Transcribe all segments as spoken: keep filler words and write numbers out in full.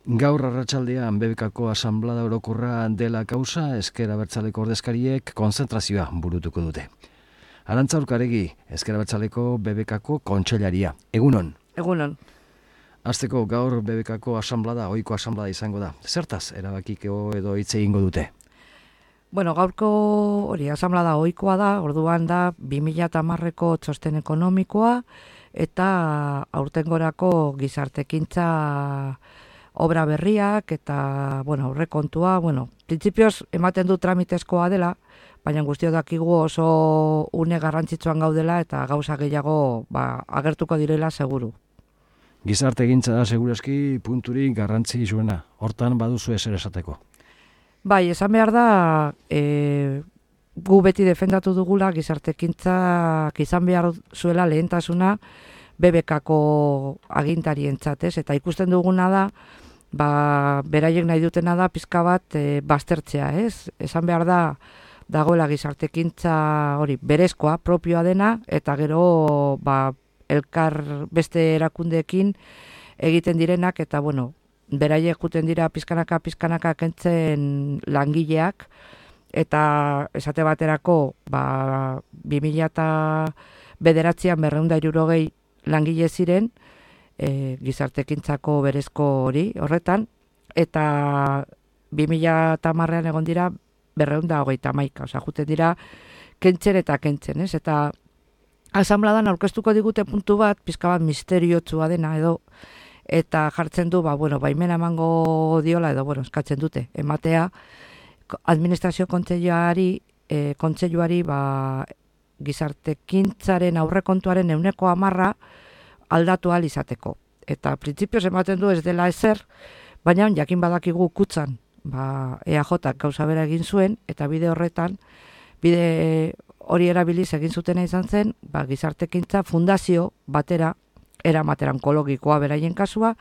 Gaur arratsaldean B B Kko asanblada orokorra dela kausa, Ezker Abertzaleko ordezkariek konzentrazioa burutuko dute. Arantza Urkaregi, Ezker Abertzaleko B B Kko kontseilaria. Egunon. Egunon. Hasteko gaur B B Kko asanblada, ohiko asanblada izango da. Zertaz erabakiko edo hitz egingo dute? Bueno, gaurko hori asanblada ohikoa da, orduan da bi mila hamareko txosten ekonomikoa eta aurtengorako gizartekintza obra berriak eta, bueno, aurrekontua, bueno, printzipioz ematen du tramitezkoa dela, baina guztiok dakigu oso une garrantzitsuan gaudela eta gauza gehiago ba, agertuko direla seguru. Gizartegintza da segurazki punturik garrantzi zuena, hortan baduzu ezer esateko. Bai, esan behar da, e, gu beti defendatu dugula gizartekintzak izan behar zuela lehentasuna B B Kko agintarientzat, ez? Eta ikusten duguna da, ba, beraiek nahi dutena da pizka bat e, baztertzea, ez? Esan behar da, dagoela gizartekintza hori berezkoa, propioa dena, eta gero ba, elkar beste erakundeekin egiten direnak, eta bueno, beraiek juten dira pizkanaka pizkanaka kentzen langileak, eta esate baterako ba, bi mila bederatzian berrehun eta hirurogei langile ziren e, gizartekintzako berezko hori horretan, eta bi mila hamarrean egon dira berrehun eta hogeita hamaika, osea, juten dira kentzen eta kentzen, ez? Eta asanbladan aurkeztuko digute puntu bat, pizka bat misteriotsua dena edo, eta jartzen du, ba, bueno, baimena emango diola edo, bueno, eskatzen dute, ematea administrazio kontseiluari, e, kontseiluari, ba, gizartekintzaren aurrekontuaren ehuneko hamarra aldatu ahal izateko. Eta printzipioz ematen du ez dela ezer, baina jakin badakigu kutzan, ba, E A Jk gauza bera egin zuen, eta bide horretan, bide hori erabiliz egin zutena izan zen, ba, gizartekintza fundazio batera, eramatera onkologikoa beraien kasua,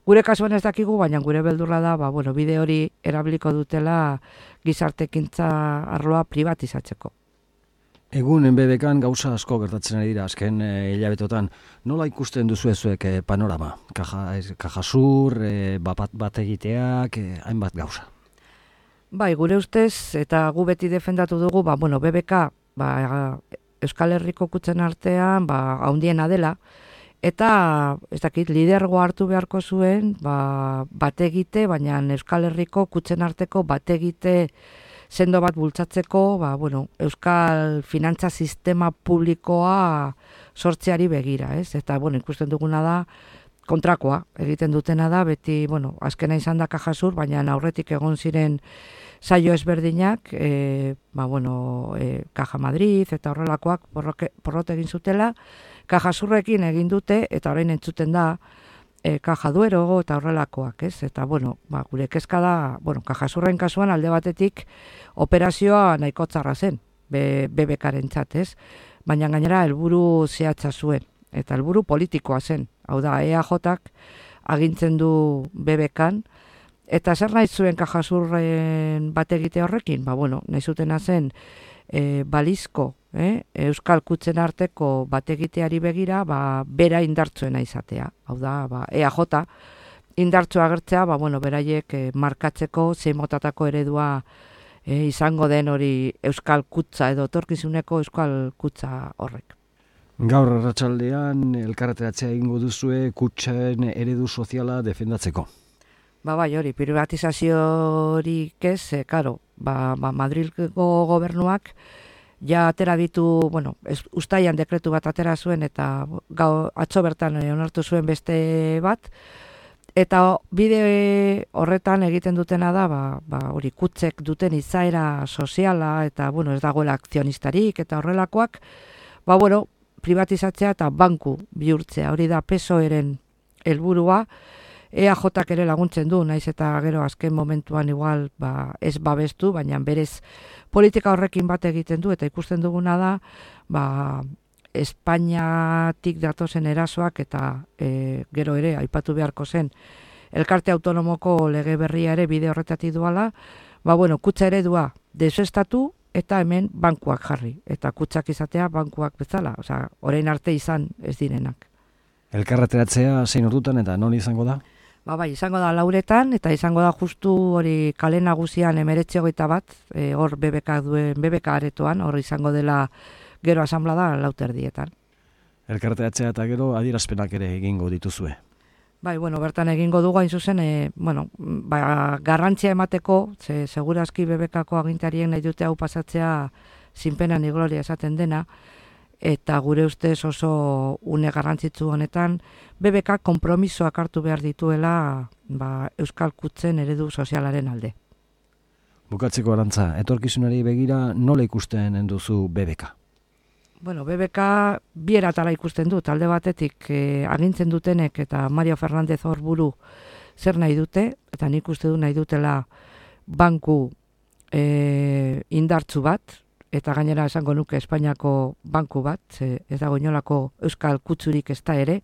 gure kasuan ez dakigu, baina gure beldurra da, ba, bueno, bide hori erabiliko dutela gizartekintza arloa privatizatzeko. Egun B B Kan gauza asko gertatzen ari dira azken e, hilabetotan. Nola ikusten duzu ezuek e, panorama? Kaja, kajasur, e, bat, bat egiteak, e, hainbat gauza. Bai, gure ustez, eta gu beti defendatu dugu, ba, bueno, B B K ba, Euskal Herriko kutzen artean ba, haundiena dela, eta ez dakit, lidergoa hartu beharko zuen ba, bat egite, baina Euskal Herriko kutzen arteko bat egite sendo bat bultzatzeko, ba, bueno, euskal finantza sistema publikoa sortzeari begira, ez? Eta, bueno, ikusten duguna da, kontrakoa egiten dutena da, beti, bueno, azkena izan da Kajasur, baina aurretik egon ziren saio ezberdinak, e, ba, bueno, e, Caja Madrid eta horrelakoak porrot egin zutela, Kajasurrekin egin dute, eta orain entzuten da, E, Caja Duero eta horrelakoak, ez? Eta, bueno, ba, gure kezka da, bueno, Kajasurren kasuan alde batetik operazioa nahiko txarra zen, B B Karentzat, ez? Baina gainera helburu zehatza zuen, eta helburu politikoa zen. Hau da, E A Jk agintzen du B B Kan, eta zer nahi zuen Kajasurren bat egite horrekin? Ba, bueno, nahi zutena zen e, balizko, Eh? Euskal kutzen arteko bat egiteari begira, ba, bera indartzuena izatea. Hau da, ba, E A J indartzu agertzea, ba, bueno, beraiek eh, markatzeko zein motatako eredua eh, izango den hori Euskal kutza edo etorkizuneko Euskal kutza horrek. Gaur arratsaldean elkarreteratzea egingo duzue kutxen eredu soziala defendatzeko. Ba, bai, hori, privatizaziorik ez, eh, karo, ba, ba, Madrilgo gobernuak ja atera ditu, bueno, ez, ustaian dekretu bat atera zuen eta gau, atzo bertan onartu zuen beste bat, eta bide horretan egiten dutena da, ba, ba, hori kutzek duten izaera soziala eta, bueno, ez dagoela akzionistarik eta horrelakoak, ba, bueno, privatizatzea eta banku bihurtzea, hori da P S O E-ren helburua, E A Jk ere laguntzen du, naiz eta gero azken momentuan igual ba, ez babestu, baina berez politika horrekin bat egiten du, eta ikusten duguna da, ba, Espainiatik datozen erasoak eta e, gero ere, aipatu beharko zen, elkarte autonomoko lege berria ere bide horretatik duala, ba, bueno, kutza eredua desestatu eta hemen bankuak jarri, eta kutzak izatea bankuak bezala, osea, orain arte izan ez direnak. Elkarreteratzea zein ordutan eta non izango da? Ba, bai, izango da lauretan, eta izango da justu hori kale nagusian emeretzi hogeita bat, e, hor B B K duen, B B K aretoan, hor izango dela gero asanblada lauterdietan. Elkarteatzea eta gero adierazpenak ere egingo dituzue. Bai, bueno, bertan egingo dugu hain zuzen, e, bueno, ba, garrantzia emateko, ze segurazki B B K-ko agintarien nahi dute hau pasatzea zinpena ni gloria esaten dena, eta gure ustez oso une garrantzitsu honetan B B K konpromisoak hartu behar dituela ba, Euskal Kutzen eredu sozialaren alde. Bukatzeko Arantza, etorkizunari begira nola ikusten duzu B B K? Bueno, B B K bi eratara ikusten dut, alde batetik eh, agintzen dutenek eta Mario Fernández hor buru zer nahi dute, eta nik uste du nahi dutela banku eh, indartzu bat, eta gainera esango nuke Espainiako banku bat, ze ez dago inolako Euskal Kutzurik ez da ere,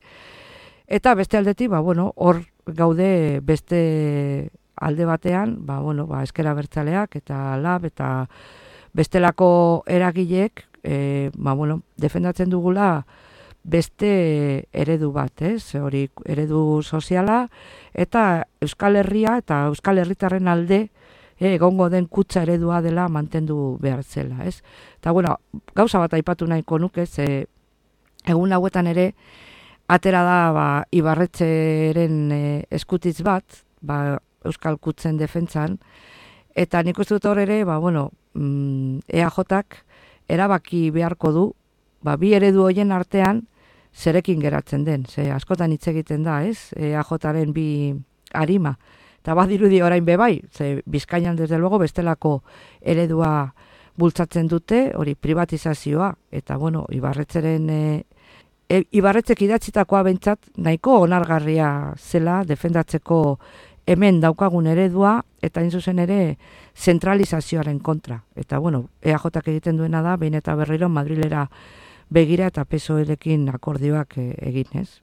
eta beste aldetik, ba, bueno, hor gaude beste alde batean, ba, bueno, ba, Ezker Abertzaleak eta Lab eta bestelako eragileek, e, ba, bueno, defendatzen dugula beste eredu bat, ez? Hori eredu soziala eta Euskal Herria eta Euskal Herritarren alde E, egongo den kutsa eredua dela mantendu behar zela, ez? Eta, bueno, gauza bat aipatu nahiko nuke, ze egun hauetan ere atera da ba, Ibarretxeren e, eskutitz bat, ba, Euskal Kutzen defentsan, eta nik uste dut hor ere, ba, bueno, mm, E A Jak erabaki beharko du, ba, bi eredu hoien artean zerekin geratzen den, ze askotan hitz egiten da, ez? E A Jaren bi arima. Eta badirudi orain bebai, ze Bizkaian desde luego bestelako eredua bultzatzen dute, hori privatizazioa, eta bueno, Ibarretzeren, e, e, Ibarretzek idatzitakoa bentsat nahiko onargarria zela defendatzeko hemen daukagun eredua, eta hain zuzen ere zentralizazioaren kontra. Eta bueno, E A Jak egiten duena da, behin eta berriro Madrilera begira eta P S O E-rekin akordioak e, egin, ez?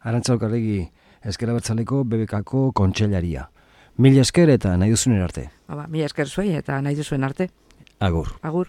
Arantza Okarregi, Ezker Abertzaleko B B K-ko kontseilaria. Mila esker eta nahi duzuen arte. Ba, mila esker zuei eta nahi duzuen arte. Agur. Agur.